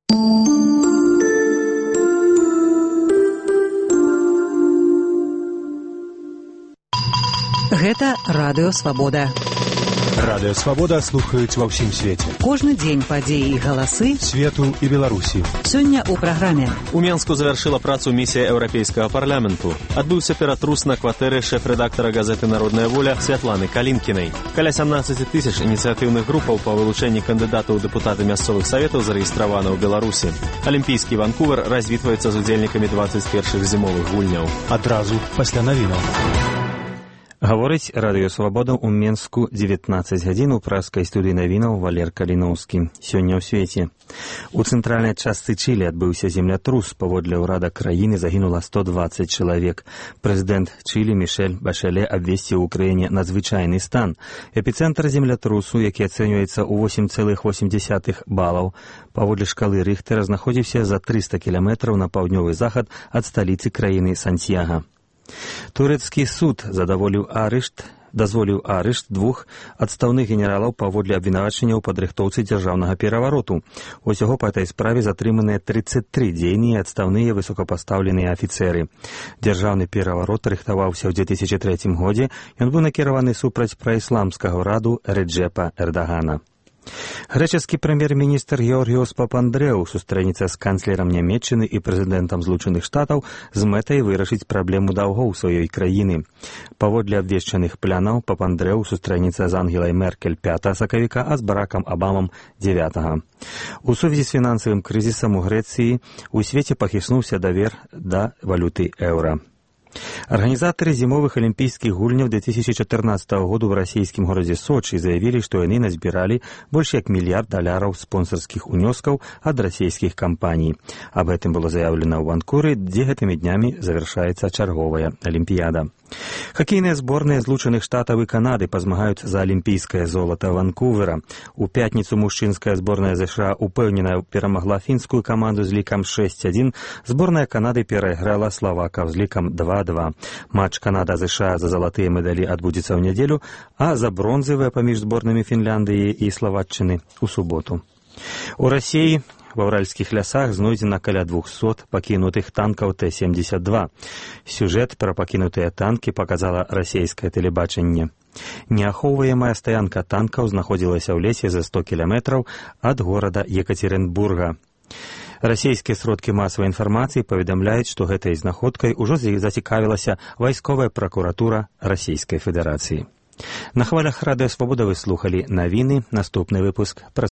Гэта Радыё Свабода. Радыё Свабода слухаюць ва ўсім свеце. Кожны дзень падзеі і галасы свету і Беларусі. Сёння ў праграме. У Менску завяршыла працу місія Еўрапейскага парламенту. Адбыўся ператрус на кватэры шэф-рэдактара газеты «Народная воля» Святланы Калінкінай. Каля 17 тысяч ініцыятыўных групаў па вылучэнні кандыдатаў у дэпутаты мясцовых саветаў зарэгістравана ў Беларусі. Алімпійскі Ванкувер развітваецца з удзельнікамі 21-х зімовых гульняў. Адразу пасля навінаў. Гаворыць Радыё Свабода ў Менску 19 гадзін у праскай студыі навінаў Валер Каліноўскі. Сёння ў свеце. У цэнтральнай частцы Чылі адбыўся землятрус. Паводле ўрада краіны загінула 120 чалавек. Прэзідэнт Чылі Мішэль Башэле абвесціў у краіне надзвычайны стан. Эпіцэнтр землятрусу, які ацэньваецца ў 8,8 балаў, паводле шкалы Рыхтэра знаходзіўся за 300 кіламетраў на паўднёвы захад ад сталіцы краіны Сантьяга. Турэцкі суд дазволіў арышт двух адстаўных генералаў паводле абвінавачання ў падрыхтоўцы дзяржаўнага перавароту. Усяго па этой справе затрыманыя 33 дзейныя адстаўныя высокапастаўленыя афіцэры. Дзяржаўны пераварот рыхтаваўся ў 2003 годзе. Ён быў накіраваны супраць праісламскага ўраду Реджепа Эрдагана. Грэчаскі прэм'ер-міністр Георгіос Папандрэу сустрэнецца з канцлерам Нямецчыны і прэзідэнтам Злучаных Штатаў з мэтай вырашыць праблему даўгоў сваёй краіны. Паводле абвешчаных планаў Папандрэу сустрэнецца з Ангелай Меркель 5 сакавіка, а з Баракам Абамам 9. У сувязі з фінансавым крызісам у Грэцыі у свеце пахіснуўся давер да валюты еўра. Арганізатары зімовых алімпійскіх гульняў 2014 году ў расійскім горадзе Сочы заявілі, што яны назбіралі больш як $1 мільярд спонсарскіх унёскаў ад расійскіх кампаній. Аб гэтым было заяўлена ў Ванкувері, дзе гэтымі днямі завяршаецца чарговая алімпіяда. Хакейныя зборныя Злучаных Штатаў і Канады пазмагаюць за алімпійскае золата Ванкувера. У пятніцу мужчынская зборная ЗША упэўнена перамагла фінскую каманду з лікам 6-1. Зборная Канады перайграла славакаў з лікам 2-2. Матч Канада-ЗША за залатыя медалі адбудзецца ў нядзелю, а за бронзавыя паміж зборнымі Фінляндыі і Славаччыны ў суботу. У Расіі ва ўральскіх лясах знойдзена каля 200 пакінутых танкаў Т-72. Сюжэт пра пакінутыя танкі паказала расійскае тэлебачанне. Неахоўваемая стаянка танкаў знаходзілася ў лесе за 100 кіламетраў ад горада Екатеринбурга. Расійскія сродкі масавай інфармацыі паведамляюць, што гэтай знаходкай ужо зацікавілася вайсковая пракуратура Расійскай Федэрацыі. На хвалях Радыё Свабода вы слухалі навіны. Наступны выпуск